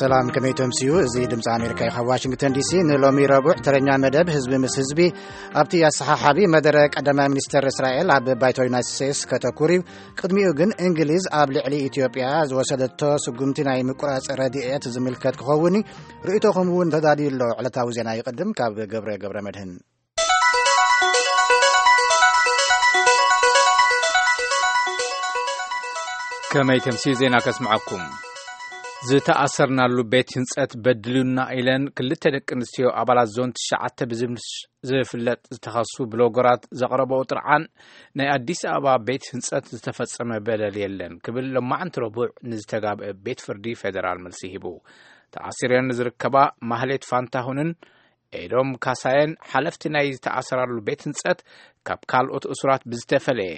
ሰላም፣ ከመይ ተምስዩ? እዚ ድምፂ ኣሜሪካ እዩ፣ ካብ ዋሽንግተን ዲሲ። ንሎሚ ረቡዕ ተረኛ መደብ ህዝቢ ምስ ህዝቢ ኣብቲ ኣሰሓሓቢ መደረ ቀዳማይ ሚኒስተር እስራኤል ኣብ ባይቶ ዩናይትድ ስቴትስ ከተኩር እዩ። ቅድሚኡ ግን እንግሊዝ ኣብ ልዕሊ ኢትዮጵያ ዝወሰደቶ ስጉምቲ ናይ ምቁራፅ ረድኤት ዝምልከት ክኸውን እዩ። ርእይቶኹም እውን ተዳልዩ ኣሎ። ዕለታዊ ዜና ይቕድም፣ ካብ ገብረ ገብረ መድህን። ከመይ ተምስዩ ዜና ከስምዐኩም። ዝተኣሰርናሉ ቤት ህንጸት በድሉና ኢለን ክልተ ደቂ ኣንስትዮ ኣባላት ዞን ትሽዓተ ብዝምሽ ዝፍለጥ ዝተኸሱ ብሎገራት ዘቕረበኦ ጥርዓን፣ ናይ ኣዲስ ኣበባ ቤት ህንጸት ዝተፈጸመ በደል የለን ክብል ሎማዓንቲ ረቡዕ ንዝተጋብአ ቤት ፍርዲ ፌደራል መልሲ ሂቡ። ተኣሲረን ንዝርከባ ማህሌት ፋንታሁንን ኤዶም ካሳየን ሓለፍቲ ናይ ዝተኣሰራሉ ቤት ህንጸት ካብ ካልኦት እሱራት ብዝተፈለየ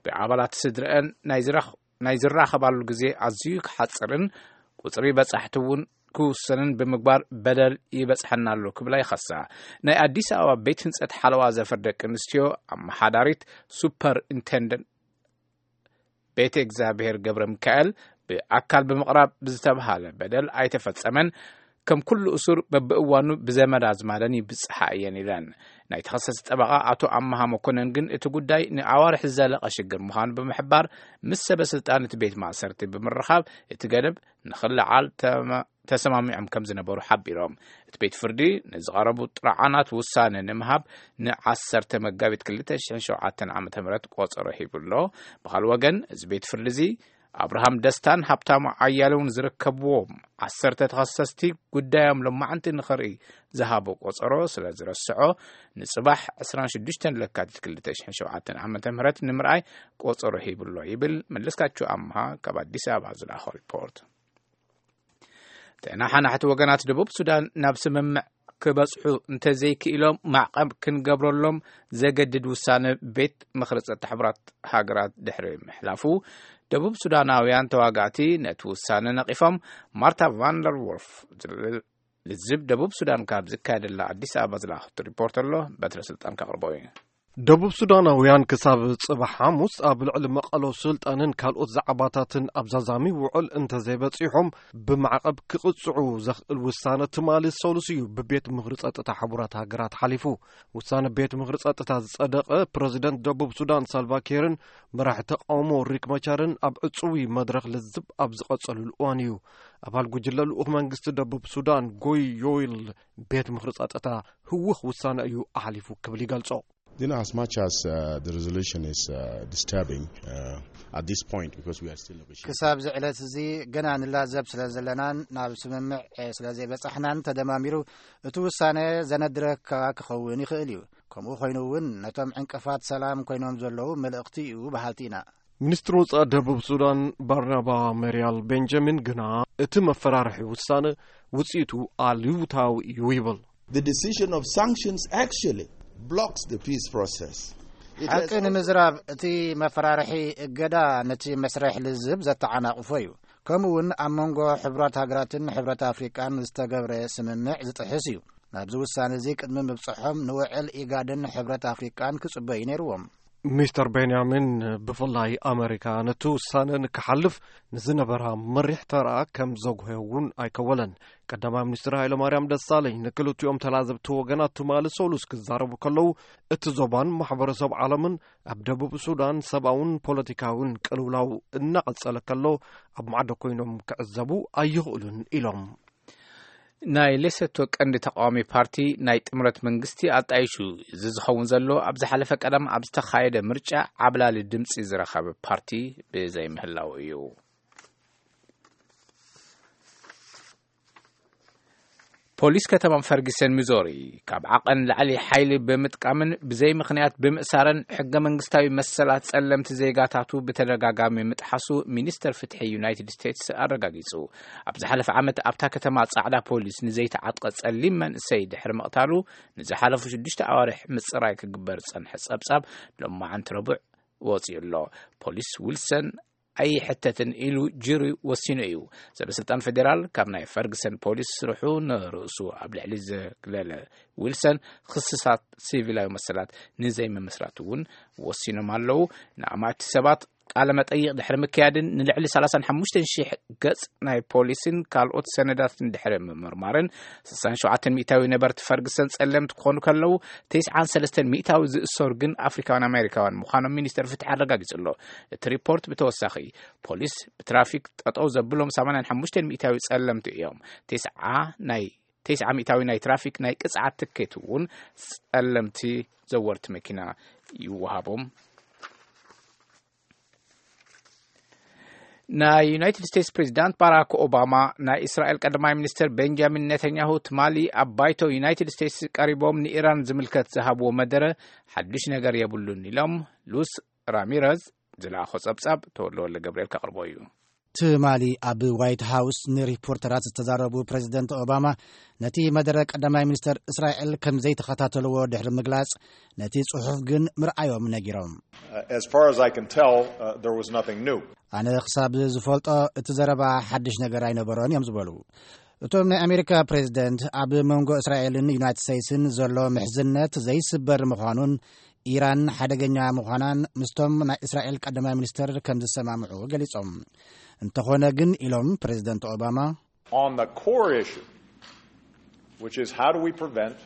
ብኣባላት ስድረአን ናይ ዝራኽ-፣ ናይ ዝራኸባሉ ግዜ ኣዝዩ ክሓጽርን ቁጽሪ በጻሕቲ እውን ክውሰንን ብምግባር በደል ይበጽሐና ኣሎ ክብላ ይኸሳ። ናይ ኣዲስ ኣበባ ቤት ህንጸት ሓለዋ ዘፈር ደቂ ኣንስትዮ ኣመሓዳሪት ሱፐር ኢንቴንደንት ቤተ እግዚኣብሔር ገብረ ሚካኤል ብኣካል ብምቕራብ ብዝተብሃለ በደል ኣይተፈጸመን፣ ከም ኩሉ እሱር በብእዋኑ ብዘመድ ኣዝማደን ይብጽሓ እየን ኢለን። ናይ ተኸሰስቲ ጠበቓ ኣቶ ኣመሃ መኮነን ግን እቲ ጉዳይ ንኣዋርሕ ዝዘለቐ ሽግር ምዃኑ ብምሕባር፣ ምስ ሰበ ስልጣን እቲ ቤት ማእሰርቲ ብምርኻብ እቲ ገደብ ንኽልዓል ተማ-፣ ተሰማሚዖም ከም ዝነበሩ ሓቢሮም። እቲ ቤት ፍርዲ ንዝቐረቡ ጥርዓናት ውሳነ ንምሃብ ንዓሰርተ መጋቢት ክልተ ሽሕን ሸውዓተን ዓመተ ምህረት ቆጸሮ ሂቡ ኣሎ። ብኻልእ ወገን፣ እዚ ቤት ፍርዲ እዚ ኣብርሃም ደስታን ሃብታሙ ኣያሌውን ዝርከብዎም ዓሰርተ ተኸሰስቲ ጉዳዮም ሎማዕንቲ ንኽርኢ ዝሃቦ ቆጸሮ ስለ ዝረስዖ፣ ንጽባሕ ዕስራን ሽዱሽተን ለካቲት ክልተ ሽሕን ሸውዓተን ዓመተ ምህረት ንምርኣይ ቆጸሮ ሂቡ ኣሎ ይብል መለስካቸው ኣምሃ ካብ ኣዲስ ኣበባ ዝለኣኾ ሪፖርት። ተናሓናሕቲ ወገናት ደቡብ ሱዳን ናብ ስምምዕ ክበጽሑ እንተዘይክኢሎም፣ ማዕቐብ ክንገብረሎም ዘገድድ ውሳነ ቤት ምኽሪ ጸጥታ ሕቡራት ሃገራት ድሕሪ ምሕላፉ፣ ደቡብ ሱዳናውያን ተዋጋእቲ ነቲ ውሳነ ነቒፎም። ማርታ ቫንደር ዎልፍ ዝብል ልዝብ ደቡብ ሱዳን ካብ ዝካየደላ ኣዲስ ኣበባ ዝለኣኸቶ ሪፖርት ኣሎ፣ በትረ ስልጣን ከቕርቦ እዩ። ደቡብ ሱዳናውያን ክሳብ ጽባሕ ሓሙስ ኣብ ልዕሊ መቐሎ ስልጣንን ካልኦት ዛዕባታትን ኣብ ዛዛሚ ውዕል እንተዘይበጺሖም፣ ብማዕቐብ ክቕጽዑ ዘኽእል ውሳነ ትማሊ ሰሉስ እዩ ብቤት ምኽሪ ጸጥታ ሕቡራት ሃገራት ሓሊፉ። ውሳነ ቤት ምኽሪ ጸጥታ ዝጸደቐ፣ ፕረዚደንት ደቡብ ሱዳን ሳልቫ ኪርን መራሒ ተቃውሞ ሪክ መቻርን ኣብ ዕጹዊ መድረኽ ልዝብ ኣብ ዝቐጸሉሉ እዋን እዩ። ኣባል ጉጅለ ልኡኽ መንግስቲ ደቡብ ሱዳን ጎይ ዮይል ቤት ምኽሪ ጸጥታ ህውኽ ውሳነ እዩ ኣሕሊፉ ክብል ይገልጾ። You know, as much as uh, the resolution is uh, disturbing uh, at this point, because we are still negotiating. ክሳብ እዚ ዕለት እዚ ገና ንላዘብ ስለ ዘለናን ናብ ስምምዕ ስለ ዘይበጻሕናን፣ ተደማሚሩ እቲ ውሳነ ዘነድረካ ክኸውን ይኽእል እዩ። ከምኡ ኮይኑ እውን ነቶም ዕንቅፋት ሰላም ኮይኖም ዘለዉ መልእኽቲ እዩ በሃልቲ ኢና። ሚኒስትሪ ወጻኢ ደቡብ ሱዳን ባርናባ መርያል ቤንጃሚን ግና እቲ መፈራርሒ ውሳነ ውጽኢቱ ኣሉታዊ እዩ ይብል። The decision of sanctions actually blocks the peace process. It has ሓቂ also ንምዝራብ፣ እቲ መፈራርሒ እገዳ ነቲ መስርሕ ልዝብ ዘተዓናቕፎ እዩ። ከምኡ እውን ኣብ መንጎ ሕብራት ሃገራትን ሕብረት ኣፍሪቃን ዝተገብረ ስምምዕ ዝጥሕስ እዩ። ናብዚ ውሳነ እዚ ቅድሚ ምብጽሖም ንውዕል ኢጋድን ሕብረት ኣፍሪቃን ክጽበዩ ነይርዎም። ሚስተር ቤንያሚን፣ ብፍላይ ኣመሪካ ነቲ ውሳነ ንክሓልፍ ንዝነበራ መሪሕ ተራ ከም ዘጉህዮ እውን ኣይከወለን። ቀዳማይ ሚኒስትር ሃይለማርያም ደሳለኝ ንክልቲኦም ተላዘብቲ ወገናት ትማሊ ሰሉስ ክዛረቡ ከለዉ፣ እቲ ዞባን ማሕበረሰብ ዓለምን ኣብ ደቡብ ሱዳን ሰብኣውን ፖለቲካውን ቅልውላው እናቐጸለ ከሎ፣ ኣብ ማዕዶ ኮይኖም ክዕዘቡ ኣይኽእሉን ኢሎም። ናይ ሌሶቶ ቀንዲ ተቃዋሚ ፓርቲ ናይ ጥምረት መንግስቲ ኣጣይሹ። እዚ ዝኸውን ዘሎ ኣብ ዝሓለፈ ቀዳም ኣብ ዝተኻየደ ምርጫ ዓብላሊ ድምፂ ዝረኸበ ፓርቲ ብዘይምህላው እዩ። ፖሊስ ከተማ ፈርጊሰን ሚዞሪ ካብ ዓቐን ላዕሊ ሓይሊ ብምጥቃምን ብዘይ ምኽንያት ብምእሳረን ሕገ መንግስታዊ መሰላት ጸለምቲ ዜጋታቱ ብተደጋጋሚ ምጥሓሱ ሚኒስተር ፍትሒ ዩናይትድ ስቴትስ ኣረጋጊጹ። ኣብ ዝሓለፈ ዓመት ኣብታ ከተማ ጻዕዳ ፖሊስ ንዘይተዓጥቀ ጸሊም መንእሰይ ድሕሪ ምቕታሉ ንዝሓለፉ ሽዱሽተ ኣዋርሕ ምጽራይ ክግበር ዝጸንሐ ጸብጻብ ሎማዓንቲ ረቡዕ ወጺኡ ኣሎ። ፖሊስ ዊልሰን ኣይሕተትን ኢሉ ጁሪ ወሲኑ እዩ። ሰበስልጣን ፌዴራል ካብ ናይ ፈርግሰን ፖሊስ ስርሑ ንርእሱ ኣብ ልዕሊ ዘግለለ ዊልሰን ክስታት ሲቪላዊ መሰላት ንዘይምምስራት እውን ወሲኖም ኣለዉ። ንኣማቲ ሰባት ቃለ መጠይቕ ድሕሪ ምክያድን ንልዕሊ ሰላሳን ሓሙሽተን ሽሕ ገጽ ናይ ፖሊስን ካልኦት ሰነዳትን ድሕሪ ምምርማርን፣ ስሳን ሸውዓተን ሚእታዊ ነበርቲ ፈርግሰን ጸለምቲ ክኾኑ ከለዉ፣ ተስዓን ሰለስተን ሚእታዊ ዝእሰሩ ግን ኣፍሪካውያን ኣሜሪካውያን ምዃኖም ሚኒስተር ፍትሒ ኣረጋጊጹ ኣሎ። እቲ ሪፖርት ብተወሳኺ፣ ፖሊስ ብትራፊክ ጠጠው ዘብሎም ሰማንያን ሓሙሽተን ሚእታዊ ጸለምቲ እዮም። ተስዓ ናይ፣ ተስዓ ሚእታዊ ናይ ትራፊክ ናይ ቅጽዓት ትኬት እውን ጸለምቲ ዘወርቲ መኪና ይወሃቦም። ናይ ዩናይትድ ስቴትስ ፕሬዚዳንት ባራክ ኦባማ፣ ናይ እስራኤል ቀዳማይ ሚኒስትር ቤንጃሚን ኔታንያሁ ትማሊ ኣብ ባይቶ ዩናይትድ ስቴትስ ቀሪቦም ንኢራን ዝምልከት ዝሃብዎ መደረ ሓዱሽ ነገር የብሉን ኢሎም። ሉስ ራሚረዝ ዝለኣኾ ጸብጻብ ተወልደ ወልደ ገብርኤል ከቕርቦ እዩ። ትማሊ ኣብ ዋይት ሃውስ ንሪፖርተራት ዝተዛረቡ ፕሬዚደንት ኦባማ፣ ነቲ መደረ ቀዳማይ ሚኒስተር እስራኤል ከም ዘይተኸታተልዎ ድሕሪ ምግላጽ፣ ነቲ ጽሑፍ ግን ምርኣዮም ነጊሮም። As far as I can tell, uh, there was nothing new. ኣነ ክሳብ ዝፈልጦ እቲ ዘረባ ሓድሽ ነገር ኣይነበሮን እዮም ዝበሉ። እቶም ናይ ኣሜሪካ ፕሬዚደንት ኣብ መንጎ እስራኤልን ዩናይትድ ስቴትስን ዘሎ ምሕዝነት ዘይስበር ምዃኑን ኢራን ሓደገኛ ምዃናን ምስቶም ናይ እስራኤል ቀዳማይ ሚኒስተር ከም ዝሰማምዑ ገሊጾም። እንተኾነ ግን ኢሎም ፕሬዚደንት ኦባማ፣ On the core issue, which is how do we prevent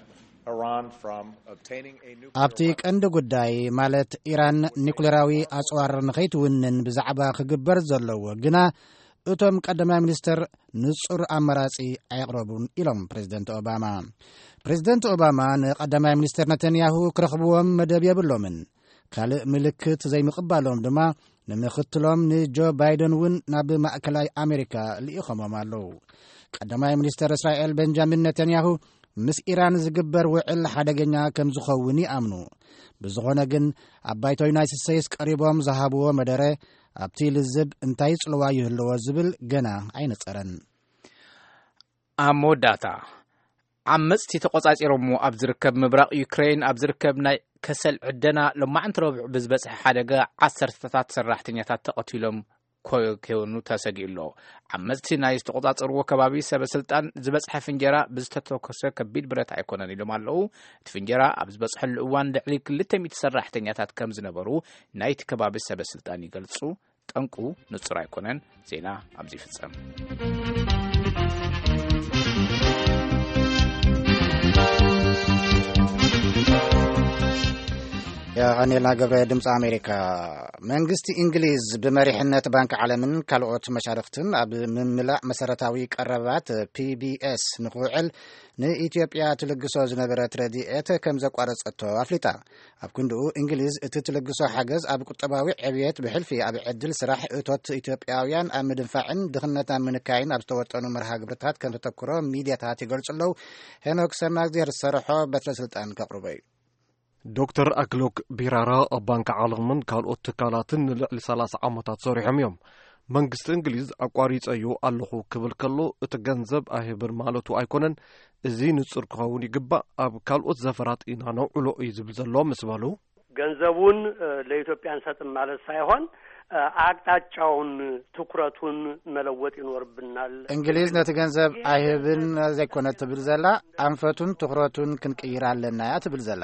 Iran from obtaining a nuclear ኣብቲ ቀንዲ ጉዳይ ማለት ኢራን ኒኩሌራዊ ኣጽዋር ንኸይትውንን ብዛዕባ ክግበር ዘለዎ ግና እቶም ቀዳማይ ሚኒስተር ንጹር ኣማራጺ ኣየቕረቡን ኢሎም ፕሬዚደንት ኦባማ። ፕሬዚደንት ኦባማ ንቀዳማይ ሚኒስተር ነተንያሁ ክረኽብዎም መደብ የብሎምን። ካልእ ምልክት ዘይምቕባሎም ድማ ንምኽትሎም ንጆ ባይደን እውን ናብ ማእከላይ ኣሜሪካ ልኢኾሞም ኣለዉ። ቀዳማይ ሚኒስተር እስራኤል ቤንጃሚን ነተንያሁ ምስ ኢራን ዝግበር ውዕል ሓደገኛ ከም ዝኸውን ይኣምኑ። ብዝኾነ ግን ኣብ ባይቶ ዩናይትድ ስቴትስ ቀሪቦም ዝሃብዎ መደረ ኣብቲ ልዝብ እንታይ ጽልዋ ይህልዎ ዝብል ገና ኣይነጸረን። ኣብ መወዳእታ፣ ዓመጽቲ ተቖጻጺሮምዎ ኣብ ዝርከብ ምብራቕ ዩክሬን ኣብ ዝርከብ ናይ ከሰል ዕደና ሎማዕንቲ ረቡዕ ብዝበጽሐ ሓደጋ ዓሰርተታት ሰራሕተኛታት ተቐቲሎም ኮ- ክኾኑ ተሰጊኡ ኣሎ። ዓመጽቲ ናይ ዝተቖጻጸርዎ ከባቢ ሰበ ስልጣን ዝበጽሐ ፍንጀራ ብዝተተኮሰ ከቢድ ብረት ኣይኮነን ኢሎም ኣለዉ። እቲ ፍንጀራ ኣብ ዝበጽሐሉ እዋን ልዕሊ ክልተ ሚእቲ ሰራሕተኛታት ከም ዝነበሩ ናይቲ ከባቢ ሰበ ስልጣን ይገልጹ። ጠንቁ ንጹር ኣይኮነን። ዜና ኣብዚ ይፍጸም። የቐኔልና ገብረ ድምፂ ኣሜሪካ። መንግስቲ እንግሊዝ ብመሪሕነት ባንክ ዓለምን ካልኦት መሻርክትን ኣብ ምምላእ መሰረታዊ ቀረባት ፒቢኤስ ንክውዕል ንኢትዮጵያ ትልግሶ ዝነበረት ረድኤት ከም ዘቋረጸቶ ኣፍሊጣ። ኣብ ክንድኡ እንግሊዝ እቲ ትልግሶ ሓገዝ ኣብ ቁጠባዊ ዕብየት ብሕልፊ ኣብ ዕድል ስራሕ እቶት ኢትዮጵያውያን ኣብ ምድንፋዕን ድኽነት ኣብ ምንካይን ኣብ ዝተወጠኑ መርሃ ግብርታት ከም ተተኩሮ ሚድያታት ይገልጹ ኣለዉ። ሄኖክ ሰማግዜር ዝሰርሖ በትረ ስልጣን ከቕርቦ እዩ። ዶክተር ኣክሎክ ቢራራ ኣብ ባንክ ዓለምን ካልኦት ትካላትን ንልዕሊ ሰላሳ ዓመታት ሰሪሖም እዮም። መንግስቲ እንግሊዝ ኣቋሪጸዮ ኣለኹ ክብል ከሎ እቲ ገንዘብ ኣይህብን ማለቱ ኣይኮነን። እዚ ንጹር ክኸውን ይግባእ። ኣብ ካልኦት ዘፈራት ኢና ነውዕሎ እዩ ዝብል ዘሎ ምስ በሉ፣ ገንዘቡን ለኢትዮጵያ እንሰጥም ማለት ሳይሆን ኣቅጣጫውን ትኩረቱን መለወጥ ይኖርብናል። እንግሊዝ ነቲ ገንዘብ ኣይህብን ዘይኮነ ትብል ዘላ፣ ኣንፈቱን ትኹረቱን ክንቅይር ኣለና እያ ትብል ዘላ።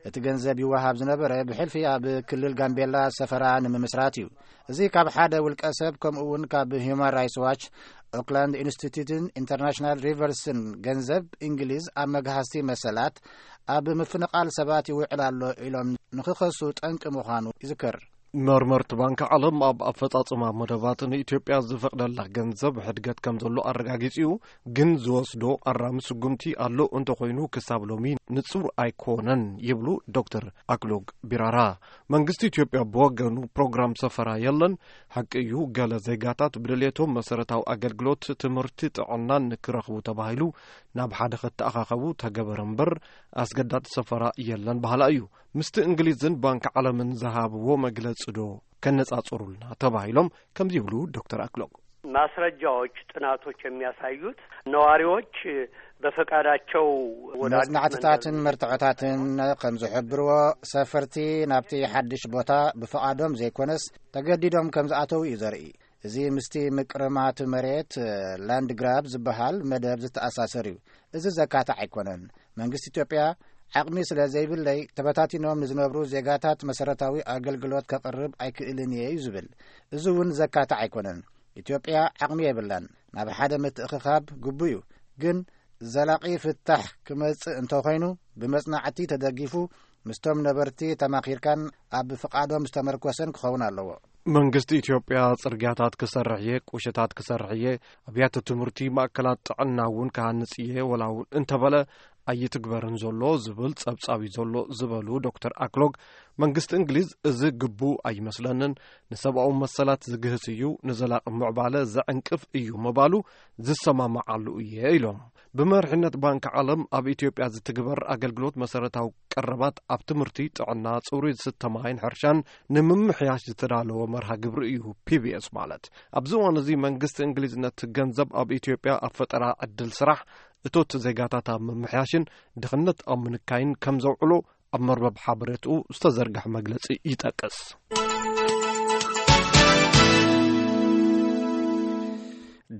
እቲ ገንዘብ ይወሃብ ዝነበረ ብሕልፊ ኣብ ክልል ጋምቤላ ሰፈራ ንምምስራት እዩ። እዚ ካብ ሓደ ውልቀ ሰብ ከምኡ እውን ካብ ሂዩማን ራይትስ ዋች፣ ኦክላንድ ኢንስቲትዩትን ኢንተርናሽናል ሪቨርስን ገንዘብ እንግሊዝ ኣብ መግሃስቲ መሰላት ኣብ ምፍንቓል ሰባት ይውዕል ኣሎ ኢሎም ንክኸሱ ጠንቂ ምዃኑ ይዝከር። መርመርቲ ባንክ ዓለም ኣብ ኣፈጻጽማ መደባት ንኢትዮጵያ ዝፈቕደላ ገንዘብ ሕድገት ከም ዘሎ ኣረጋጊጽ እዩ። ግን ዝወስዶ ኣራሚ ስጉምቲ ኣሎ እንተኾይኑ ክሳብ ሎሚ ንጹር ኣይኮነን ይብሉ ዶክተር ኣክሎግ ቢራራ። መንግስቲ ኢትዮጵያ ብወገኑ ፕሮግራም ሰፈራ የለን። ሓቂ እዩ፣ ገለ ዜጋታት ብድሌቶም መሰረታዊ ኣገልግሎት ትምህርቲ፣ ጥዕናን ንክረኽቡ ተባሂሉ ናብ ሓደ ከተኣኻኸቡ ተገበረ እምበር ኣስገዳድ ሰፈራ የለን በሃላ እዩ። ምስቲ እንግሊዝን ባንክ ዓለምን ዝሃብዎ መግለጺ ዶ ከነጻጽሩልና ተባሂሎም ከምዚ ይብሉ ዶክተር ኣክሎግ። ማስረጃዎች፣ ጥናቶች የሚያሳዩት ነዋሪዎች በፈቃዳቸው ወደ አዲስ መጽናዕትታትን መንደር መርትዖታትን ከም ዝሕብርዎ፣ ሰፈርቲ ናብቲ ሓድሽ ቦታ ብፍቓዶም ዘይኮነስ ተገዲዶም ከም ዝኣተዉ እዩ ዘርኢ። እዚ ምስቲ ምቅርማት መሬት፣ ላንድ ግራብ ዝበሃል መደብ ዝተኣሳሰር እዩ። እዚ ዘካትዕ ኣይኮነን። መንግስቲ ኢትዮጵያ ዓቕሚ ስለ ዘይብለይ፣ ተበታቲኖም ንዝነብሩ ዜጋታት መሰረታዊ ኣገልግሎት ከቕርብ ኣይክእልን እየ እዩ ዝብል። እዚ እውን ዘካትዕ ኣይኮነን። ኢትዮጵያ ዓቕሚ የብላን። ናብ ሓደ ምትእኽኻብ ግቡእ እዩ። ግን ዘላቒ ፍታሕ ክመጽእ እንተኾይኑ፣ ብመጽናዕቲ ተደጊፉ፣ ምስቶም ነበርቲ ተማኺርካን ኣብ ፍቓዶም ዝተመርኮሰን ክኸውን ኣለዎ። መንግስቲ ኢትዮጵያ ጽርግያታት ክሰርሕ እየ፣ ቁሸታት ክሰርሕ እየ፣ ኣብያተ ትምህርቲ፣ ማእከላት ጥዕና እውን ክሃንጽ እየ፣ ወላ እውን እንተበለ ኣይትግበርን ዘሎ ዝብል ጸብጻብ እዩ ዘሎ ዝበሉ ዶክተር ኣክሎግ፣ መንግስቲ እንግሊዝ እዚ ግቡእ ኣይመስለንን፣ ንሰብኣዊ መሰላት ዝግህስ እዩ፣ ንዘላቂ ምዕባለ ዘዕንቅፍ እዩ ምባሉ ዝሰማማዓሉ እየ ኢሎም። ብመሪሕነት ባንክ ዓለም ኣብ ኢትዮጵያ ዝትግበር ኣገልግሎት መሰረታዊ ቀረባት ኣብ ትምህርቲ፣ ጥዕና፣ ጽሩይ ዝስተ ማይን ሕርሻን ንምምሕያሽ ዝተዳለወ መርሃ ግብሪ እዩ ፒ ቢ ኤስ ማለት። ኣብዚ እዋን እዚ መንግስቲ እንግሊዝ ነቲ ገንዘብ ኣብ ኢትዮጵያ ኣብ ፈጠራ ዕድል ስራሕ፣ እቶት ዜጋታት ኣብ ምምሕያሽን ድኽነት ኣብ ምንካይን ከም ዘውዕሎ ኣብ መርበብ ሓበሬትኡ ዝተዘርግሐ መግለጺ ይጠቅስ።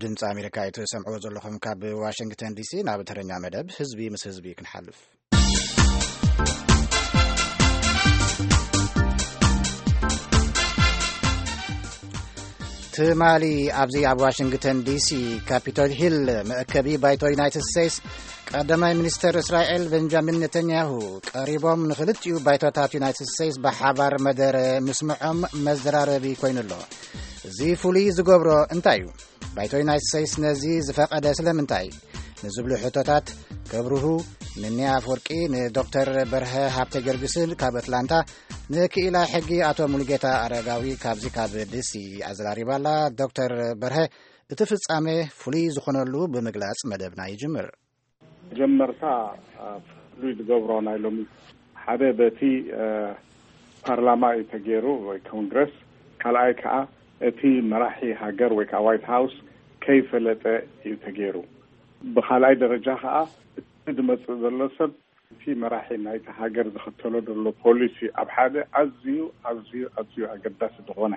ድምፂ ኣሜሪካ እዩ ትሰምዕዎ ዘለኹም ካብ ዋሽንግተን ዲሲ። ናብ ተረኛ መደብ ህዝቢ ምስ ህዝቢ ክንሓልፍ። ትማሊ ኣብዚ ኣብ ዋሽንግተን ዲሲ ካፒቶል ሂል መእከቢ ባይቶ ዩናይትድ ስቴትስ ቀዳማይ ሚኒስተር እስራኤል ቤንጃሚን ኔተንያሁ ቀሪቦም ንኽልቲኡ ባይቶታት ዩናይትድ ስቴትስ ብሓባር መደረ ምስምዖም መዘራረቢ ኮይኑ ኣሎ። እዚ ፍሉይ ዝገብሮ እንታይ እዩ? ባይቶ ዩናይትድ ስቴትስ ነዚ ዝፈቐደ ስለምንታይ? ንዝብሉ ሕቶታት ከብርሁ ንኒያ ኣፍወርቂ፣ ንዶክተር በርሀ ሃብተ ጊዮርጊስን ካብ ኣትላንታ፣ ንክኢላ ሕጊ ኣቶ ሙሉጌታ ኣረጋዊ ካብዚ ካብ ዲሲ ኣዘራሪባ ኣላ። ዶክተር በርሀ፣ እቲ ፍጻሜ ፍሉይ ዝኾነሉ ብምግላጽ መደብና ይጅምር። መጀመርታ፣ አ፣ ፍሉይ ዝገብሮ ናይ ሎሚ ሓደ በቲ፣ አ፣ ፓርላማ እዩ ተገይሩ ወይ ኮንግረስ፣ ካልኣይ ከዓ እቲ መራሒ ሃገር ወይ ከዓ ዋይት ሃውስ ከይፈለጠ እዩ ተገይሩ። ብኻልኣይ ደረጃ ከዓ እቲ ዝመፅእ ዘሎ ሰብ እቲ መራሒ ናይቲ ሃገር ዝኽተሎ ዘሎ ፖሊሲ ኣብ ሓደ ኣዝዩ፣ ኣዝዩ፣ ኣዝዩ ኣገዳሲ ዝኾነ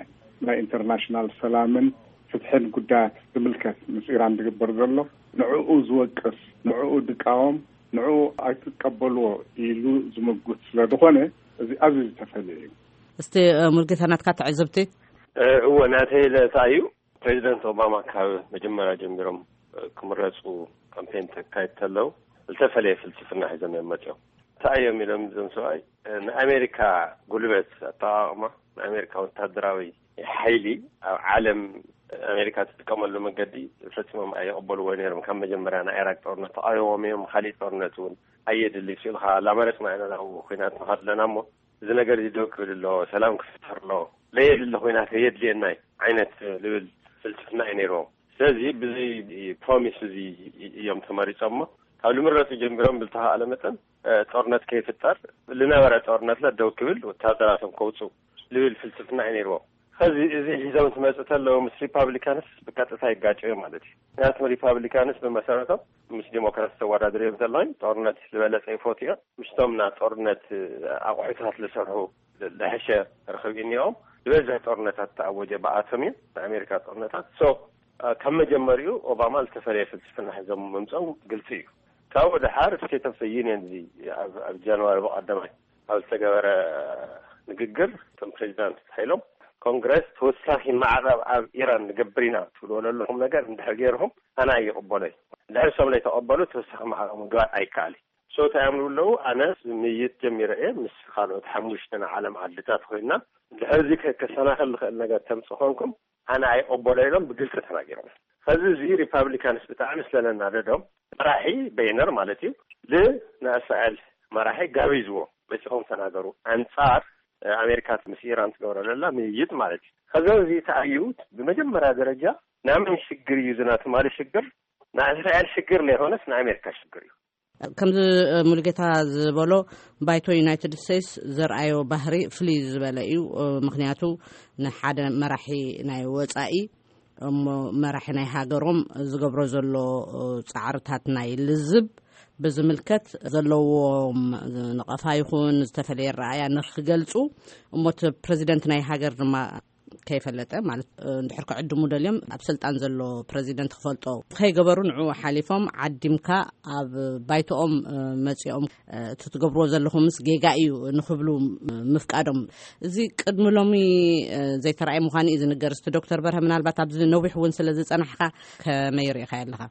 ናይ ኢንተርናሽናል ሰላምን ፍትሕን ጉዳያት ዝምልከት ምስ ኢራን ዝግበር ዘሎ ንዕኡ ዝወቅስ፣ ንዕኡ ዝቃወም፣ ንዕኡ ኣይትቀበልዎ ኢሉ ዝምጉት ስለ ዝኾነ እዚ ኣዝዩ ዝተፈለየ እዩ። እስቲ፣ እ፣ ሙልጌታ ናትካ ትዕዝብቲ? እ፣ እወ፣ ናተይ ለታ እዩ። ፕሬዚደንት ኦባማ ካብ መጀመርያ ጀሚሮም፣ እ፣ ክምረፁ ካምፔን ተካይድ ተለው ዝተፈለየ ፍልስፍና ሒዞም እዮም መፅኦም። እንታይ እዮም ኢሎም እዞም ሰብኣይ? እ፣ ንኣሜሪካ ጉልበት ኣጠቓቕማ፣ ንኣሜሪካ ወታደራዊ ሓይሊ ኣብ ዓለም ኣሜሪካ ትጥቀመሉ መገዲ ፈፂሞም ኣይቕበልዎ ነይሮም። ካብ መጀመርያ ናይ ኢራቅ ጦርነት ተቃዊሞም እዮም። ካሊእ ጦርነት እውን ኣየድሊ ስኢልካ ላመረፅና ኢና ናብ ኩናት ንኸድ ኣለና እሞ እዚ ነገር እዚ ደው ክብል ኣለዎ፣ ሰላም ክፍጠር ኣለዎ፣ ለየድሊ ኩናት የድልየና እዩ ዓይነት ልብል ፍልስፍና እዩ ነይርዎም። ስለዚ ብዚ ፕሮሚስ እዚ እዮም ተመሪፆም እሞ ካብ ልምረፁ ጀሚሮም ብልተኻእለ መጠን እ፣ ጦርነት ከይፍጠር ዝነበረ ጦርነት ለ ደው ክብል ወታደራቶም ከውፁ ልብል ፍልስፍና እዩ ነይርዎም። ከዚ እዚ ሒዞም ትመፅእ ተለዉ ምስ ሪፓብሊካንስ ብቀጥታ ይጋጨ ማለት እዩ። ምክንያቱም ሪፓብሊካንስ ብመሰረቶም ምስ ዲሞክራት ተወዳድር እዮም ዘለዉ። ጦርነት ዝበለፀ ይፈቱ እዮም። ምስቶም ና ጦርነት ኣቑሑታት ዝሰርሑ ዝሐሸ ርክብ እኒኦም ዝበዝሕ ጦርነታት ተኣወጀ ብኣቶም እዩ ንኣሜሪካ ጦርነታት። ሶ ካብ መጀመሪኡ ኦባማ ዝተፈለየ ፍልስፍና ሒዞም ምምፀው ግልፂ እዩ። ካብኡ ደሓር ስቴት ኦፍ ዩኒየን እዚ ኣብ ኣብ ጃንዋሪ ብቐዳማይ ኣብ ዝተገበረ ንግግር እቶም ፕሬዚዳንት ሓይሎም ኮንግረስ ተወሳኺ ማዕቐብ ኣብ ኢራን ንገብር ኢና ትብልዎ ዘለኹም ነገር እንድሕር ገይርኹም ኣነ ኣይቕበሎይ። እንድሕር እሶም ዘይተቐበሉ ተወሳኺ ማዕቐብ ምግባር ኣይከኣል እዩ። ሶ እንታይ እዮም ዝብሉ ኣለዉ? ኣነ ምይይጥ ጀሚረ እየ ምስ ካልኦት ሓሙሽተ ናይ ዓለም ዓድታት ኮይና እንድሕር እዚ ከሰናኽል ዝኽእል ነገር ተምፅ ኮንኩም ኣነ ኣይቕበሎ ኢሎም ብግልፂ ተናጊሮም። ከዚ እዚ ሪፓብሊካንስ ብጣዕሚ ስለለናደዶም መራሒ በይነር ማለት እዩ ንእስራኤል መራሒ ጋቢዝዎ መፂኹም ተናገሩ ኣንፃር ኣሜሪካ ምስ ኢራን ትገብሮ ዘላ ምይይጥ ማለት እዩ። ከዚ እዚ ተኣዩ ብመጀመርያ ደረጃ ናይ መን ሽግር እዩ ዝና ትማሊ ሽግር ናይ እስራኤል ሽግር ለይኮነስ ናይ ኣሜሪካ ሽግር እዩ። ከምዚ ሙሉጌታ ዝበሎ ባይቶ ዩናይትድ ስቴትስ ዘርኣዮ ባህሪ ፍልይ ዝበለ እዩ። ምክንያቱ ንሓደ መራሒ ናይ ወፃኢ እሞ መራሒ ናይ ሃገሮም ዝገብሮ ዘሎ ጻዕርታት ናይ ልዝብ ብዝምልከት ዘለዎም ነቐፋ ይኹን ዝተፈለየ ረኣያ ንክገልጹ፣ እሞ እቲ ፕረዚደንት ናይ ሃገር ድማ ከይፈለጠ፣ ማለት እንድሕር ክዕድሙ ደልዮም ኣብ ስልጣን ዘሎ ፕረዚደንት ክፈልጦ ከይገበሩ ንዕኡ ሓሊፎም ዓዲምካ ኣብ ባይቶኦም መጺኦም እቲ ትገብርዎ ዘለኹምስ ጌጋ እዩ ንክብሉ ምፍቃዶም፣ እዚ ቅድሚ ሎሚ ዘይተራእየ ምዃኑ እዩ ዝንገር። እስቲ ዶክተር በርሀ ምናልባት ኣብዚ ነዊሕ እውን ስለ ዝጸናሕካ ከመይ ርኢኻዮ ኣለኻ?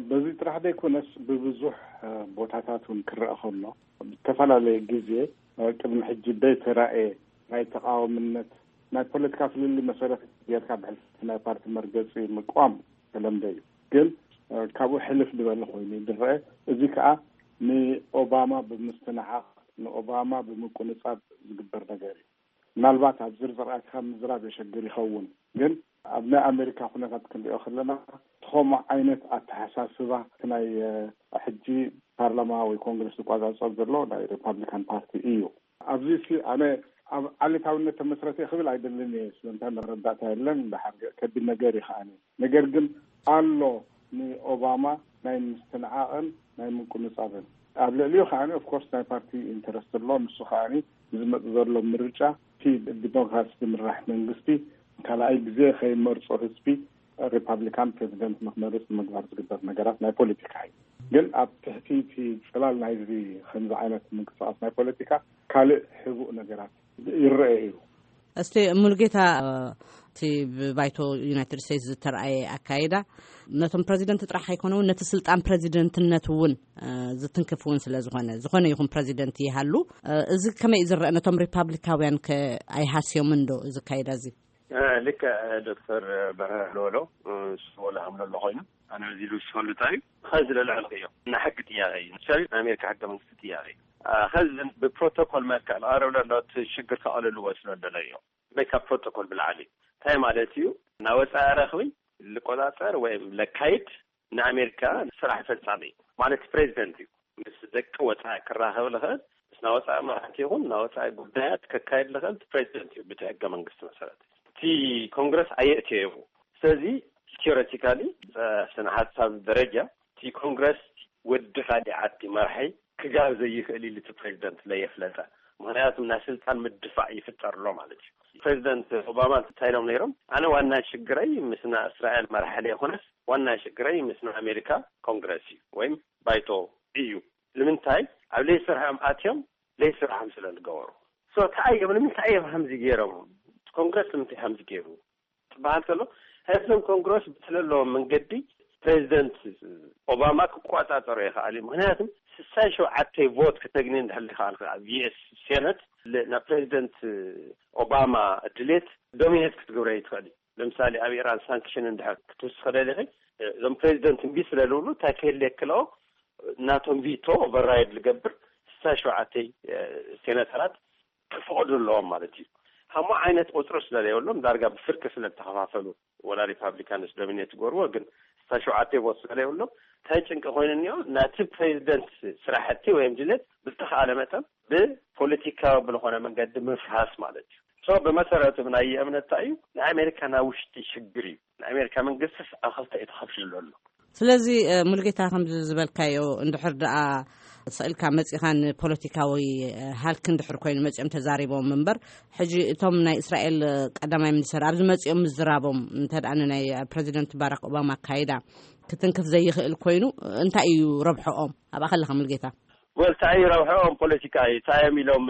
በዚ ጥራሕ ዘይኮነስ ብብዙሕ ቦታታት እውን ክረአ ከሎ ብዝተፈላለየ ግዜ ቅድሚ ሕጂ ዘይተራእየ ናይ ተቃዋምነት ናይ ፖለቲካ ፍልልይ መሰረት ጌርካ ብሕልፊ ናይ ፓርቲ መርገፂ ምቋም ተለምደ እዩ። ግን ካብኡ ሕልፍ ዝበለ ኮይኑ ዝረአ። እዚ ከዓ ንኦባማ ብምስትንዓቕ ንኦባማ ብምቁንፃብ ዝግበር ነገር እዩ። ምናልባት ኣብ ዝርዝር ኣትኻ ምዝራብ የሸግር ይኸውን፣ ግን ኣብ ናይ ኣሜሪካ ኩነታት ክንሪኦ ከለና ከምኡ ዓይነት ኣተሓሳስባ ናይ ሕጂ ፓርላማ ወይ ኮንግረስ ዝቋጻጸር ዘሎ ናይ ሪፓብሊካን ፓርቲ እዩ። ኣብዚ ሲ ኣነ ኣብ ዓሌታውነት ተመስረተ ክብል ኣይደልን እየ፣ ስለምንታይ መረዳእታ የለን። ደሓር ከቢድ ነገር እዩ ከዓኒ። ነገር ግን ኣሎ ንኦባማ ናይ ምስትንዓቕን ናይ ምቁንጻብን ኣብ ልዕሊኡ ከዓኒ ኦፍኮርስ ናይ ፓርቲ ኢንተረስት ኣሎ። ንሱ ከዓኒ ዝመጽእ ዘሎ ምርጫ እቲ ብዲሞክራሲ ዝምራሕ መንግስቲ ካልኣይ ግዜ ከይመርጾ ህዝቢ ሪፓብሊካን ፕሬዚደንት ንክመርጽ ንምግባር ዝግበር ነገራት ናይ ፖለቲካ እዩ። ግን ኣብ ትሕቲ እቲ ጽላል ናይዚ ከምዚ ዓይነት ምንቅስቃስ ናይ ፖለቲካ ካልእ ሕቡእ ነገራት ይረአ እዩ። እስቲ ሙሉጌታ፣ እቲ ብባይቶ ዩናይትድ ስቴትስ ዝተረኣየ ኣካይዳ ነቶም ፕረዚደንት ጥራሕ ኣይኮነውን ነቲ ስልጣን ፕረዚደንትነት እውን ዝትንክፍ እውን ስለ ዝኾነ፣ ዝኾነ ይኹን ፕረዚደንት ይሃሉ፣ እዚ ከመይ ዝረአ? ነቶም ሪፓብሊካውያን ከ ኣይሃስዮምን ዶ እዚ ኣካይዳ እዚ? ልክዕ ዶክተር በርሀ ዝበሎ፣ ንሱ ወላ ሃምሎ ኣሎ ኮይኑ ኣነ እዚ ልውስኸሉ እንታይ እዩ? ኸዚ ለልዕልኽዮ ናይ ሕጊ ጥያቄ እዩ። ንሳቢ ናይ ኣሜሪካ ሕገ መንግስቲ ጥያቄ እዩ። ኸዚ ብፕሮቶኮል መልክዕ ዝቐረብ ዘሎ እቲ ሽግር ከቐልልዎ ስለ ደለዮ በይ ካብ ፕሮቶኮል ብላዕሊ እንታይ ማለት እዩ? ናወፃኢ ረኽቢ ልቆፃፀር ወይም ለካይድ ንኣሜሪካ ስራሕ ፈፃሚ ማለት ፕሬዚደንት እዩ። ምስ ደቂ ወፃኢ ክራኸብ ልኽእል፣ ምስ ናወፃኢ መራሕቲ ይኹን ናወፃኢ ጉዳያት ከካይድ ልኽእል ፕሬዚደንት እዩ ብቲ ሕገ መንግስቲ መሰረት። እቲ ኮንግረስ ኣየእትዮ እዩ። ስለዚ ቴዎሬቲካሊ ስነ ሓሳብ ደረጃ እቲ ኮንግረስ ወዲ ካሊእ ዓዲ መራሒ ክጋር ዘይኽእል ኢሉ እቲ ፕሬዚደንት ለየፍለጠ። ምክንያቱ ናይ ስልጣን ምድፋእ ይፍጠር ኣሎ ማለት እዩ። ፕሬዚደንት ኦባማ እንታይ ኢሎም ነይሮም? ኣነ ዋና ሽግረይ ምስ ናይ እስራኤል መራሒ ለይኮነስ ዋና ሽግረይ ምስ ናይ ኣሜሪካ ኮንግረስ እዩ ወይም ባይቶ እዩ። ንምንታይ ኣብ ለይስርሖም ኣትዮም ለይስርሖም ስለ ዝገበሩ። ሶ እንታይ እዮም ንምንታይ እዮም ከምዚ ገይሮም? ኮንግረስ ንምንታይ ከምዚ ገይሩ? ትበሃል ከሎ ህዝብን ኮንግረስ ብትለለዎም መንገዲ ፕሬዚደንት ኦባማ ክቆፃፀሮ ይኽኣል እዩ። ምክንያቱም ስሳይ ሸውዓተ ቮት ክተግኒ እንድሕር ይኽኣል ኣብ ዩ ኤስ ሴነት ናብ ፕሬዚደንት ኦባማ ድሌት ዶሚኔት ክትገብረ ይትኽእል እዩ። ለምሳሌ ኣብ ኢራን ሳንክሽን እንድሕር ክትውስኸ ደሊኺ እዞም ፕሬዚደንት እምቢ ስለ ዝብሉ እንታይ ክህል የክልኦ ናቶም ቪቶ ኦቨርራይድ ዝገብር ስሳይ ሸውዓተ ሴነተራት ክፈቕዱ ኣለዎም ማለት እዩ። ከምኡ ዓይነት ቁፅሪ ስለዘይብሎም ዳርጋ ብፍርቂ ስለ ዝተኸፋፈሉ ወላ ሪፓብሊካንስ ዶሚኔት ይገብርዎ ግን ስሳይ ሸውዓተ ቮት ስለዘይብሎም እንታይ ጭንቂ ኮይኑ እኒኦ ናቲ ፕሬዚደንት ስራሕቲ ወይም ድሌት ብዝተኸኣለ መጠን ብፖለቲካዊ ብዝኾነ መንገዲ ምፍራስ ማለት እዩ። ሶ ብመሰረቱ ብናይ እምነት እንታይ እዩ ናይ ኣሜሪካ ናይ ውሽጢ ሽግር እዩ። ናይ ኣሜሪካ መንግስቲ ኣብ ክልተ እዩ ተኸፊሉ ዘሎ። ስለዚ ሙልጌታ ከምዚ ዝበልካዮ እንድሕር ደኣ ስእልካ መጺኻ ንፖለቲካዊ ሃልክ እንድሕር ኮይኑ መጺኦም ተዛሪቦም እምበር ሕጂ እቶም ናይ እስራኤል ቀዳማይ ሚኒስተር ኣብዚ መጺኦም ምዝራቦም እንተ ደኣ ንናይ ፕረዚደንት ባራክ ኦባማ ኣካይዳ ክትንክፍ ዘይኽእል ኮይኑ እንታይ እዩ ረብሖኦም? ኣብኣ ከለኻ ሙልጌታ። ወል እንታይ እዩ ረብሖኦም ፖለቲካ እዩ እንታይ እዮም ኢሎም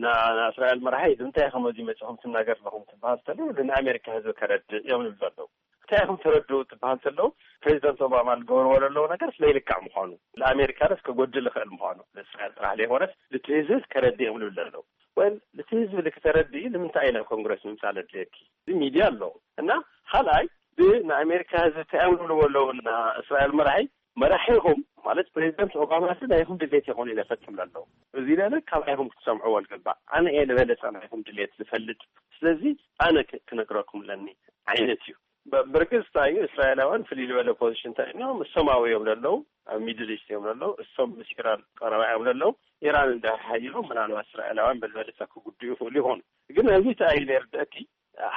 ንእስራኤል መራሒ እንታይ ከመዚ መጽኹም ትናገር ኣለኹም ትበሃል ተሎ ንኣሜሪካ ህዝቢ ከረድእ እዮም ይብሉ ኣለዉ። እንታይ ኢኹም ተረድኡ ትበሃል ተለዉ ፕሬዚደንት ኦባማ ዝገብርዎ ዘለዉ ነገር ስለይልካዕ ምዃኑ ንኣሜሪካ ደስ ከጎድል ይኽእል ምዃኑ ንእስራኤል ጥራሕ ዘይኮነስ ልቲ ህዝቢ ከረድእ እዮም ዝብል ዘለዉ። ወል ልቲ ህዝቢ ልክተረድኢ ንምንታይ እዩ ናብ ኮንግረስ ምምፃእ ለድልየኪ? እዚ ሚድያ ኣለዉ እና ካልኣይ ብንኣሜሪካ ህዝቢ እንታይ እዮም ዝብልዎ ኣለዉ ንእስራኤል መራሒ መራሒኹም ማለት ፕሬዚደንት ኦባማ ሲ ናይኹም ድሌት ይኾኑ ኢለ ፈፅም ኣለዉ። እዚ ለለ ካባይኹም ክትሰምዕዎ ዝግባእ ኣነ እየ ዝበለፀ ናይኹም ድሌት ዝፈልጥ ስለዚ ኣነ ክነግረኩም ኣለኒ ዓይነት እዩ። ብርግፅ እንታይ እዩ እስራኤላውያን ፍልይ ዝበለ ፖዚሽን እንታይ እዮም እሶም ኣብኡ እዮም ዘለዉ ኣብ ሚድል ኢስት እዮም ዘለዉ እሶም ምስ ኢራን ቀረባ እዮም ዘለዉ። ኢራን እንድሕር ሓይሎም ምናልባት እስራኤላውያን ብዝበለፀ ክጉድኡ ይኽእሉ ይኾኑ። ግን ኣብዚ እንታይ እዩ ዘርድአኪ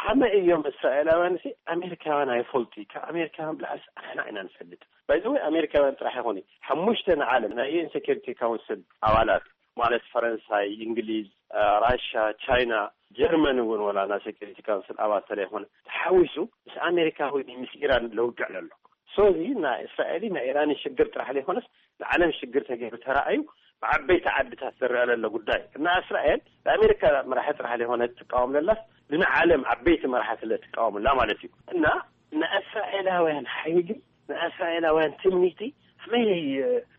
ሓመ እዮም እስራኤላውያን ሲ ኣሜሪካውያን ኣይፈልጡ እዩ። ካብ ኣሜሪካውያን ብላዕሊ ኣሕና ኢና ንፈልጥ። ባይዘወይ ኣሜሪካውያን ጥራሕ ይኾኑ ሓሙሽተ ንዓለም ናይ ዩኤን ሴኪሪቲ ካውንስል ኣባላት ማለት ፈረንሳይ፣ እንግሊዝ፣ ራሻ፣ ቻይና፣ ጀርመን እውን ወላ ናይ ሴኪሪቲ ካውንስል ኣባል ተለይኮነ ተሓዊሱ ምስ ኣሜሪካ ወይ ምስ ኢራን ለውግዕ ለሎ። ሶዚ ናይ እስራኤል ናይ ኢራን ሽግር ጥራሕ ዘይኮነስ ንዓለም ሽግር ተገይሩ ተራእዩ ብዓበይቲ ዓድታት ዝረአ ዘሎ ጉዳይ እና እስራኤል ንኣሜሪካ መራሒ ጥራሕ ዘይኮነ ትቃወም ለላስ ንዓለም ዓበይቲ መራሕቲ ለትቃወምላ ማለት እዩ። እና ንእስራኤላውያን ሓይሊ ንእስራኤላውያን ትምኒቲ ኣመይ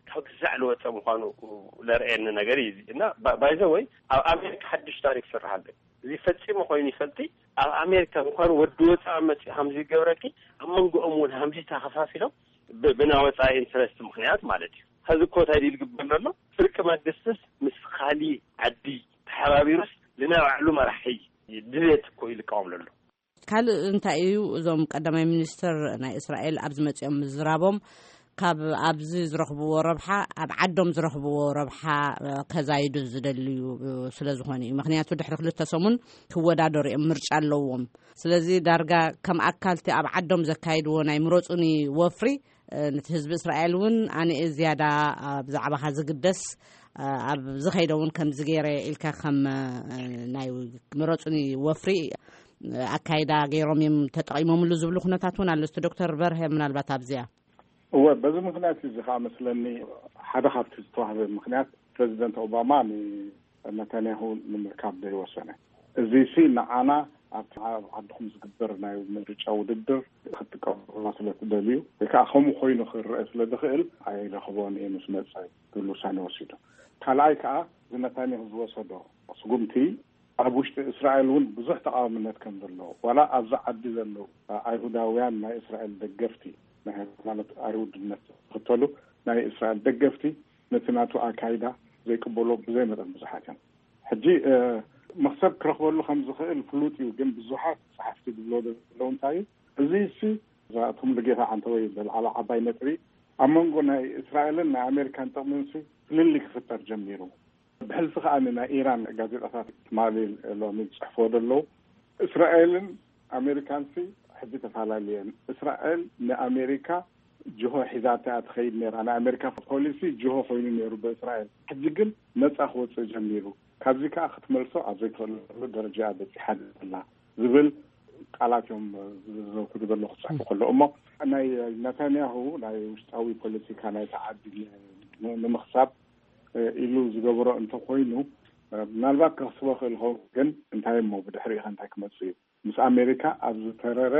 ካብ ግዛዕ ልወፀ ምዃኑ ለርእየኒ ነገር እዩ። እና ባይዘወይ ኣብ ኣሜሪካ ሓድሽ ታሪክ ስራሕ ኣሎ። እዚ ፈፂሙ ኮይኑ ይፈልጢ ኣብ ኣሜሪካ እንኳን ወዲ ወፃኢ መፂኡ ሃምዚ ይገብረኪ ኣብ መንጎኦም እውን ሃምዚ ተኸፋፊሎም ብናወፃኢ ኢንትረስት ምክንያት ማለት እዩ። ከዚ እኮ እንታይ ድዩ ዝግበር ዘሎ? ፍርቂ መንግስትስ ምስ ካሊ ዓዲ ተሓባቢሩስ ልናይ ባዕሉ መራሒ ድሌት እኮ እዩ ልቃወም ዘሎ። ካልእ እንታይ እዩ? እዞም ቀዳማይ ሚኒስትር ናይ እስራኤል ኣብዚ መፂኦም ምዝራቦም ካብ ኣብዚ ዝረኽብዎ ረብሓ ኣብ ዓዶም ዝረኽብዎ ረብሓ ከዛይዱ ዝደልዩ ስለ ዝኾኑ እዩ። ምክንያቱ ድሕሪ ክልተ ሰሙን ክወዳደሩ እዮም፣ ምርጫ ኣለዎም። ስለዚ ዳርጋ ከም ኣካልቲ ኣብ ዓዶም ዘካይድዎ ናይ ምረፁኒ ወፍሪ ነቲ ህዝቢ እስራኤል እውን ኣነ ዝያዳ ብዛዕባኻ ዝግደስ ኣብ ዝኸይደ እውን ከምዚ ገይረ ኢልካ ከም ናይ ምረፁኒ ወፍሪ ኣካይዳ ገይሮም እዮም ተጠቒሞምሉ ዝብሉ ኩነታት እውን ኣሎ። እስቲ ዶክተር በርሀ ምናልባት ኣብዚኣ እወ፣ በዚ ምክንያት እዚ ከዓ መስለኒ ሓደ ካብቲ ዝተዋህበ ምክንያት ፕሬዚደንት ኦባማ ንነታንያሁ ንምርካብ ዘይወሰነ። እዚ ሲ ንዓና ኣብቲ ኣብ ዓድኹም ዝግበር ናይ ምርጫ ውድድር ክትጥቀሙላ ስለ ትደልዩ ወይ ከዓ ከምኡ ኮይኑ ክረአ ስለ ዝኽእል ኣይረኽቦን እየ ምስ መፀ ዝብል ውሳኔ ወሲዱ። ካልኣይ ከዓ እዚ ነታንያሁ ዝወሰዶ ስጉምቲ ኣብ ውሽጢ እስራኤል እውን ብዙሕ ተቃዋምነት ከም ዘሎ ዋላ ኣብዚ ዓዲ ዘለዉ ኣይሁዳውያን ናይ እስራኤል ደገፍቲ ናይ ሃይማኖት ኣይሁድነት ዝኽተሉ ናይ እስራኤል ደገፍቲ ነቲ ናቱ ኣካይዳ ዘይቅበሎ ብዘይ መጠን ብዙሓት እዮም። ሕጂ መክሰብ ክረኽበሉ ከም ዝኽእል ፍሉጥ እዩ፣ ግን ብዙሓት ጸሓፍቲ ዝብሎ ዘለዉ እንታይ እዩ እዚ እሲ እዛቶም ልጌታ ዓንተወይ ዘልዓሎ ዓባይ ነጥቢ ኣብ መንጎ ናይ እስራኤልን ናይ ኣሜሪካን ጥቕሚ ሲ ፍልልይ ክፍጠር ጀሚሩ። ብሕልፊ ከኣ ናይ ኢራን ጋዜጣታት ትማሊ ሎሚ ዝጽሕፍዎ ዘለዉ እስራኤልን ኣሜሪካን ሲ ሕጂ ተፈላለየን። እስራኤል ንኣሜሪካ ጅሆ ሒዛታ እያ ትኸይድ ነይራ። ናይ ኣሜሪካ ፖሊሲ ጅሆ ኮይኑ ነይሩ ብእስራኤል። ሕጂ ግን ነጻ ክወጽእ ጀሚሩ። ካብዚ ከኣ ክትመልሶ ኣብ ዘይትኽእለሉ ደረጃ እያ በጺሓ ዘላ ዝብል ቃላት እዮም ዝዘውትሩ ዘለዉ ክጽሕፉ ከለዉ። እሞ ናይ ነታንያሁ ናይ ውሽጣዊ ፖለቲካ ናይቲ ዓዲ ንምኽሳብ ኢሉ ዝገበሮ እንተኾይኑ ምናልባት ከኽስቦ ክእል ኸውን፣ ግን እንታይ እሞ ብድሕሪኡ እንታይ ክመጽእ እዩ? ምስ ኣሜሪካ ኣብ ዝተረረ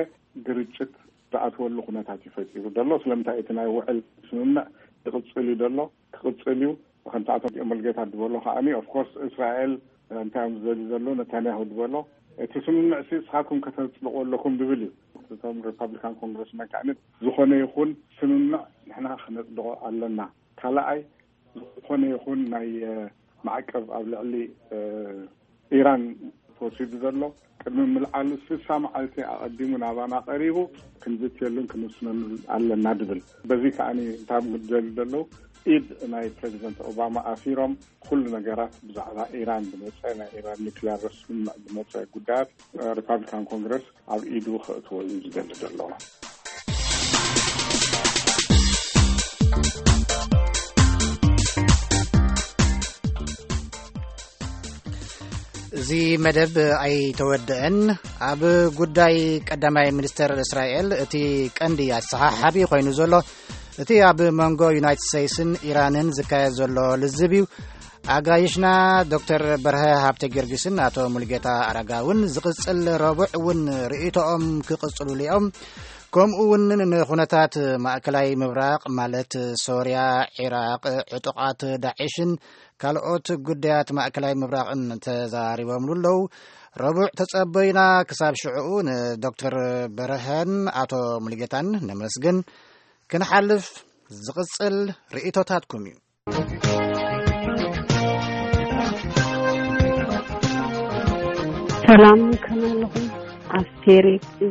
ግርጭት ዝኣትወሉ ኩነታት እዩ ፈጢሩ ዘሎ። ስለምንታይ እቲ ናይ ውዕል ስምምዕ ይቕጽል እዩ ዘሎ፣ ክቕጽል እዩ። ከምቲ ኣቶ መልጌታ ዝበሎ ከዓኒ ኦፍኮርስ እስራኤል እንታይ እዮም ዝደልዩ ዘለዉ ነታንያሁ ዝበሎ እቲ ስምምዕ ሲ ንስኻትኩም ከተጽድቑ ኣለኩም ዝብል እዩ። እቶም ሪፓብሊካን ኮንግረስመን ከዓኒ ዝኾነ ይኹን ስምምዕ ንሕና ክነጽድቖ ኣለና። ካልኣይ ዝኾነ ይኹን ናይ ማዕቀብ ኣብ ልዕሊ ኢራን ተወሲዱ ዘሎ ቅድሚ ምልዓሉ ስሳ መዓልቲ ኣቐዲሙ ናባና ቀሪቡ ክንዝትየሉን ክንውስነሉን ኣለና ድብል። በዚ ከዓኒ እንታይ ምድል ዘለዉ ኢድ ናይ ፕሬዚደንት ኦባማ ኣሲሮም ኩሉ ነገራት ብዛዕባ ኢራን ዝመፀ ናይ ኢራን ኒክሊያር ስምምዕ ዝመፀ ጉዳያት ሪፓብሊካን ኮንግረስ ኣብ ኢዱ ክእትዎ እዩ ዝደሊ ዘሎ። እዚ መደብ ኣይተወደአን። ኣብ ጉዳይ ቀዳማይ ሚኒስተር እስራኤል እቲ ቀንዲ ኣሰሓሓቢ ኮይኑ ዘሎ እቲ ኣብ መንጎ ዩናይትድ ስቴትስን ኢራንን ዝካየድ ዘሎ ልዝብ እዩ። ኣጋይሽና ዶክተር በርሀ ሃብተ ጊዮርጊስን ኣቶ ሙልጌታ ኣረጋውን ዝቕጽል ረቡዕ እውን ርእይቶኦም ክቕጽሉሉ እዮም። ከምኡ እውን ንኹነታት ማእከላይ ምብራቕ ማለት ሶርያ፣ ዒራቕ፣ ዕጡቓት ዳዒሽን ካልኦት ጉዳያት ማእከላይ ምብራቕን ተዛሪቦምሉ ኣለዉ። ረቡዕ ተጸበዩና። ክሳብ ሽዕኡ ንዶክተር በርሀን ኣቶ ሙልጌታን ነመስግን። ክንሓልፍ ዝቕጽል ርእይቶታትኩም እዩ። ሰላም ከመይ ኣለኹም? ኣስቴር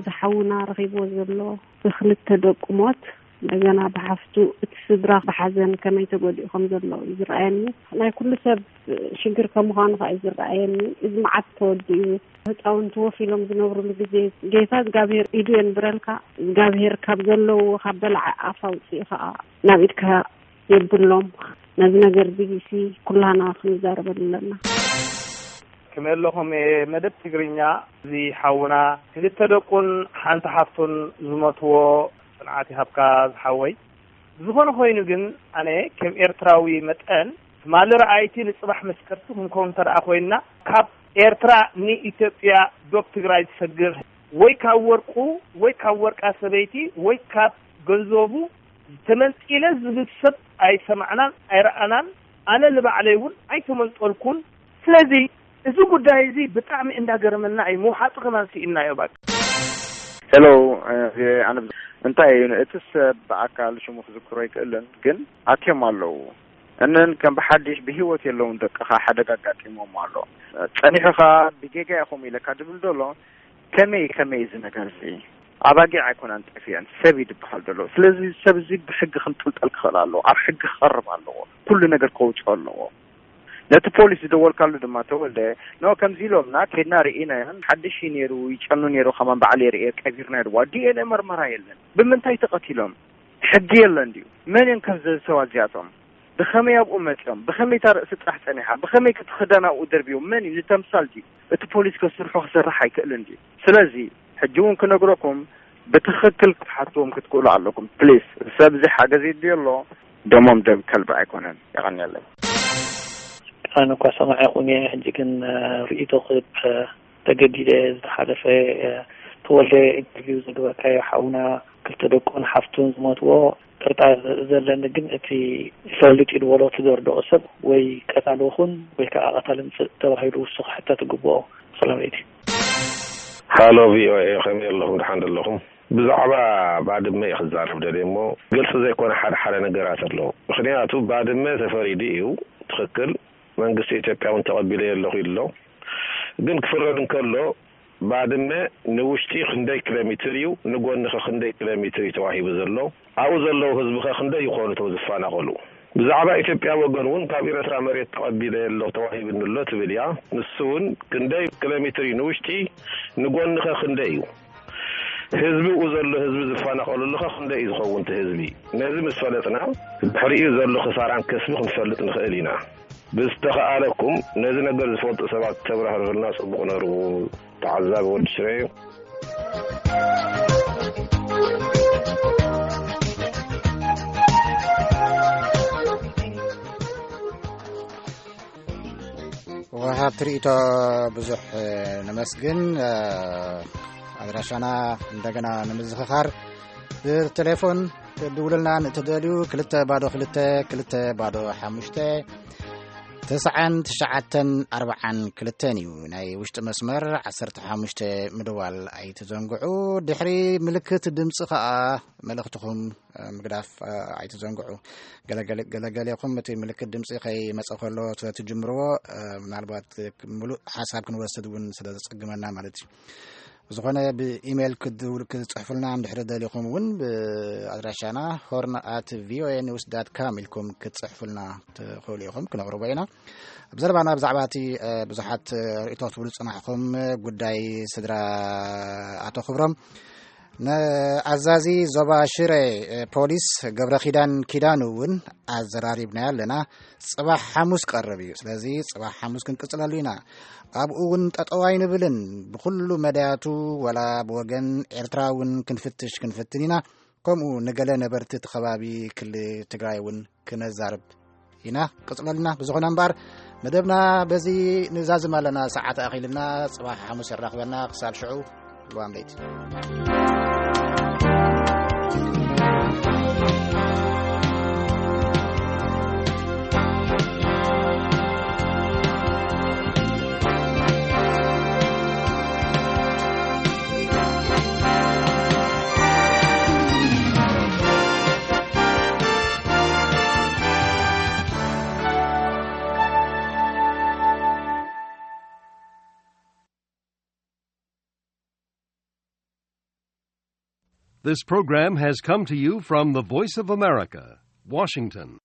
ዝሓውና ረኺብዎ ዘሎ ብክልተ ደቁ ሞት እንደገና ብሓፍቱ እቲ ስድራ ብሓዘን ከመይ ተጎዲኡ ከም ዘሎ እዩ ዝረኣየኒ። ናይ ኩሉ ሰብ ሽግር ከም ምዃኑ ከዓ እዩ ዝረኣየኒ። እዚ መዓት ተወዲኡ ህፃውንቲ ወፍ ኢሎም ዝነብሩሉ ግዜ ጌታ እግዚኣብሔር ኢዱ የንብረልካ። እግዚኣብሔር ካብ ዘለውዎ ካብ በላዓ ኣፍ ኣውፅኡ ከዓ ናብ ኢድካ የብሎም። ነዚ ነገር ቢቢሲ ኩላና ክንዛረበሉ ኣለና። ከመይ ኣለኹም? መደብ ትግርኛ፣ እዚ ሓውና ክልተ ደቁን ሓንቲ ሓፍቱን ዝሞትዎ ጽንዓት ይሃብካ ዝሓወይ። ዝኾነ ኮይኑ ግን ኣነ ከም ኤርትራዊ መጠን ትማሊ ረኣይቲ ንጽባሕ መስከርቲ ክንከውን እንተ ደኣ ኮይንና ካብ ኤርትራ ንኢትዮጵያ ዶብ ትግራይ ዝሰግር ወይ ካብ ወርቁ ወይ ካብ ወርቃ ሰበይቲ ወይ ካብ ገንዘቡ ተመንጢለ ዝብል ሰብ ኣይሰማዕናን ኣይረኣናን። ኣነ ንባዕለይ እውን ኣይተመንጠልኩን። ስለዚ እዚ ጉዳይ እዚ ብጣዕሚ እንዳገረመና እዩ። ምውሓጡ ከማን ስኢንናዮ ባክ። ሄሎ ኣነ እንታይ እዩ እቲ ሰብ ብኣካል ሽሙ ክዝክሮ ኣይክእልን ግን ኣትዮም ኣለዉ እንን ከም ብሓድሽ ብህይወት የለውን ደቅኻ ሓደጋ ኣጋጢሞም ኣሎ ጸኒሑኻ ብጌጋ ኢኹም ኢለካ ድብል ዘሎ ከመይ ከመይ እዚ ነገር እዚ ኣባጊዕ ኣይኮናን ጠፊአን ሰብ እዩ ዝበሃል ዘሎ ስለዚ ሰብ እዚ ብሕጊ ክንጥልጠል ክኽእል ኣለዎ ኣብ ሕጊ ክቐርብ ኣለዎ ኩሉ ነገር ከውፅኦ ኣለዎ ነቲ ፖሊስ ዝደወልካሉ ድማ ተወልደ ኖ ከምዚ ኢሎምና ከድና ርኢናዮን ሓድሽ እዩ ነይሩ ይጨኑ ነይሩ ከማን ባዕለይ ርእየ ቀቢርናዮ ድዋ ዲኤንኤ መርመራ የለን ብምንታይ ተቐቲሎም ሕጊ የለን ድዩ መን እዮም ከዚ ሰባት እዚኣቶም ብኸመይ ኣብኡ መፅዮም ብኸመይ እታ ርእሲ ጥራሕ ፀኒሓ ብኸመይ ክቲ ክዳን ኣብኡ ደርብዮም መን እዩ ንተምሳል ድዩ እቲ ፖሊስ ከስርሑ ክሰርሕ ኣይክእልን ድዩ ስለዚ ሕጂ እውን ክነግረኩም ብትኽክል ክትሓትዎም ክትክእሉ ኣለኩም ፕሊስ ሰብ እዚ ሓገዝ ይድልዮ ኣሎ ደሞም ደም ከልቢ ኣይኮነን የቐንየለይ ኣነ እኳ ሰማዒኹም እየ ሕጂ ግን ርእይቶ ክህብ ተገዲደ ዝተሓለፈ ተወልደ ኢንተርቪው ዝገበርካዮ ሓውና ክልተ ደቁን ሓፍቱን ዝሞትዎ ጥርጣር ዘለኒ ግን እቲ ይፈልጥ እዩ ዝበሎ እቲ ዘርድኦ ሰብ ወይ ቀታሊ ይኹን ወይ ከዓ ቀታሊ ምፅእ ተባሂሉ ውሱ ክሕተት ይግብኦ ሰላም ለይቲ ሃሎ ቪኦኤ ከመይ ኣለኹም ደሓን ደለኹም ብዛዕባ ባድመ እዩ ክዛረብ ደልየ እሞ ግልፂ ዘይኮነ ሓደ ሓደ ነገራት ኣሎ ምክንያቱ ባድመ ተፈሪዱ እዩ ትክክል መንግስቲ ኢትዮጵያ እውን ተቐቢለዮ ኣለኹ ኢሉ ኣሎ ግን ክፍረድ እንከሎ ባድመ ንውሽጢ ክንደይ ኪሎ ሜትር እዩ ንጎኒ ከ ክንደይ ኪሎ ሜትር እዩ ተዋሂቡ ዘሎ ኣብኡ ዘለዉ ህዝቢ ከ ክንደይ ይኾኑ እቶም ዝፈናቐሉ ብዛዕባ ኢትዮጵያ ወገን እውን ካብ ኤረትራ መሬት ተቐቢለዮ ኣለኹ ተዋሂብኒ ኣሎ ትብል እያ ንሱ እውን ክንደይ ኪሎ ሜትር እዩ ንውሽጢ ንጎኒ ከ ክንደይ እዩ ህዝቢ ኣብኡ ዘሎ ህዝቢ ዝፈናቐለሉ ከ ክንደይ እዩ ዝኸውን እቲ ህዝቢ ነዚ ምስ ፈለጥና ድሕሪኡ ዘሎ ክሳራን ከስቢ ክንፈልጥ ንኽእል ኢና ብዝተኸኣለኩም ነዚ ነገር ዝፈልጡ ሰባት ተብራህርህልና ጽቡቕ ነሩ ተዓዛቢ ወዲ ሽረ እዩ ወሃብቲ ርእይቶ ብዙሕ ነመስግን ኣድራሻና እንደገና ንምዝኽኻር ብቴሌፎን ትድውሉልና ንእትደልዩ ክልተ ባዶ ክልተ ክልተ ባዶ ሓሙሽተ ተስዓን ትሽዓተን ኣርብዓን ክልተን እዩ ናይ ውሽጢ መስመር ዓሰርተ ሓሙሽተ ምድዋል ኣይትዘንግዑ ድሕሪ ምልክት ድምፂ ከዓ መልእኽትኹም ምግዳፍ ኣይትዘንግዑ ገለገሌኹም እቲ ምልክት ድምፂ ከይመፀ ከሎ ስለትጅምርዎ ምናልባት ሙሉእ ሓሳብ ክንወስድ እውን ስለዘፀግመና ማለት እዩ ዝኾነ ብኢሜይል ክትፅሕፉልና እንድሕሪ ደሊኹም እውን ብኣድራሻና ሆርን ኣት ቪኦኤ ኒውስ ዳት ካም ኢልኩም ክትፅሕፉልና ትኽእሉ ኢኹም ክነቕርቦ ኢና ብዘረባና ብዛዕባ እቲ ብዙሓት ርእቶ ትብሉ ፅናሕኹም ጉዳይ ስድራ ኣቶ ክብሮም ንኣዛዚ ዞባ ሽረ ፖሊስ ገብረ ኪዳን ኪዳኑ እውን ኣዘራሪብናዮ ኣለና ፅባሕ ሓሙስ ቀርብ እዩ ስለዚ ፅባሕ ሓሙስ ክንቅፅለሉ ኢና ኣብኡ እውን ጠጠው ኣይንብልን ብኩሉ መዳያቱ ወላ ብወገን ኤርትራ እውን ክንፍትሽ ክንፍትን ኢና ከምኡ ንገለ ነበርቲ እቲ ከባቢ ክሊ ትግራይ እውን ክነዛርብ ኢና ቅፅለልና ብዝኾነ እምበኣር መደብና በዚ ንዛዝም ኣለና ሰዓት ኣኺልና ፅባሕ ሓሙስ የራኽበና ክሳብ ሽዑ ልዋም ለይቲ This program has come to you from the Voice of America, Washington.